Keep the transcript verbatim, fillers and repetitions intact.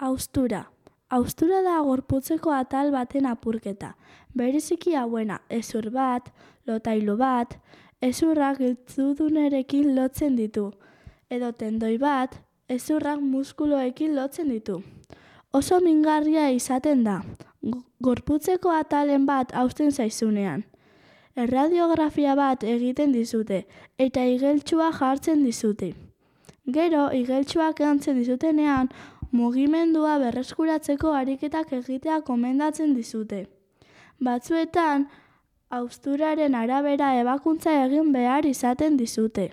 Haustura. Haustura da gorputzeko atal baten apurketa. Bereziki hauena, hezur bat, lotailu bat, hezurrak giltzudunerekin lotzen ditu. Edo tendoi bat, hezurrak muskuloekin lotzen ditu. Oso mingarria izaten da, gorputzeko atalen bat hausten zaizunean. Erradiografia bat egiten dizute, eta igeltsua jartzen dizute. Gero, igeltsuak jantzen dizutenean, mugimendua berreskuratzeko ariketak egitea komendatzen dizute. Batzuetan, hausturaren arabera ebakuntza egin behar izaten dizute.